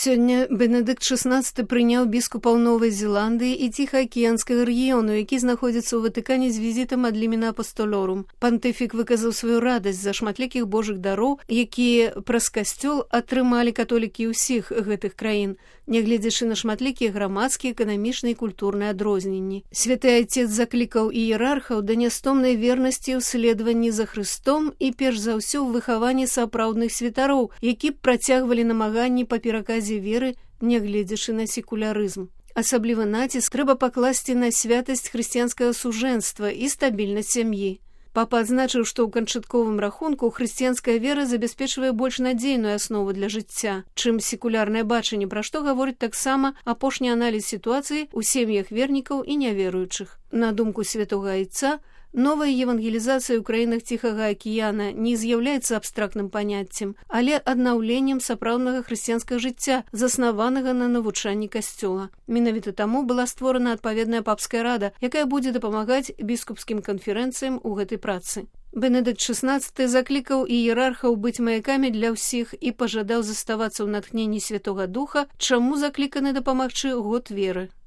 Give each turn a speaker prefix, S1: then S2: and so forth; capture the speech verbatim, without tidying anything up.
S1: Сёння Бенедыкт шаснаццаты прыняў біскупаў Новай Зеландыі і Ціхаакіянскага рэгіёну, які знаходзіцца ў Ватыкане з візітам ад лімена апастолорум. Пантыфік выказаў сваю радасць за шматлікіх божых дароў, якія праз касцёл атрымалі католікі ўсіх гэтых краін, нягледзячы на шматлікія грамадскія, эканамічныя і культурныя адрозненні. Святы Айцец заклікаў іерархаў да нястомнай вернасці ў следаванні за Хрыстом і перш за ўсё ў выхаванні сапраўдных святароў, які б працягвалі намаганні па пераказе веры, нягледзячы на секулярызм. Асаблівы націск трэба пакласці на святасць хрысціянскага сужэнства і стабільнасць сям'і. Папа адзначыў, што ў канчатковым рахунку хрысціянская вера забяспечвае больш надзейную аснову для жыцця, чым секулярнае бачанне, пра што гаворыць таксама апошні аналіз сітуацыі ў сем'ях вернікаў і няверуючых. На думку святога Айца, новая евангелізацыя ў краінах Ціхага акіяна не з'яўляецца абстрактным паняццем, але аднаўленнем сапраўднага хрысціянскага жыцця, заснаванага на навучанні касцёла. Менавіта таму была створана адпаведная папская рада, якая будзе дапамагаць біскупскім канферэнцыям у гэтай працы. Бенедыкт шаснаццаты заклікаў іерархаў быць маякамі для ўсіх і пажадаў заставацца ў натхненні Святога Духа, чаму закліканы дапамагчы год веры.